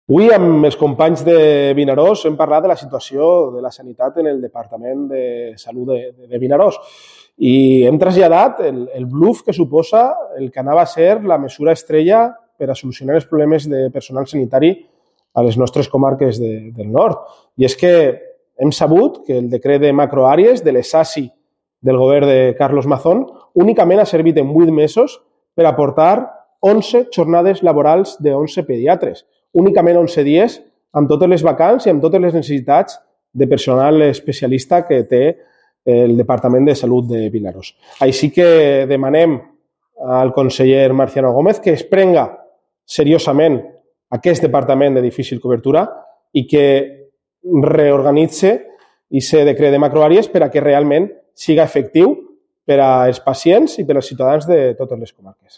Avui amb els companys de Vinaròs hem parlat de la situació de la sanitat en el Departament de Salut de Vinaròs i hem traslladat el bluff que suposa el que anava a ser la mesura estrella per a solucionar els problemes de personal sanitari a les nostres comarques del nord. I és que hem sabut que el decret de macroàrees de les SASI del govern de Carlos Mazón únicament ha servit en 8 mesos per aportar 11 jornades laborals de 11 pediatres, únicament 11 dies amb totes les vacants i amb totes les necessitats de personal especialista que té el Departament de Salut de Vinaròs. Així que demanem al conseller Marciano Gómez que es prenga seriosament aquest departament de difícil cobertura i que reorganitzi aquest decret de macroàrees per a que realment siga efectiu per als pacients i per als ciutadans de totes les comarques.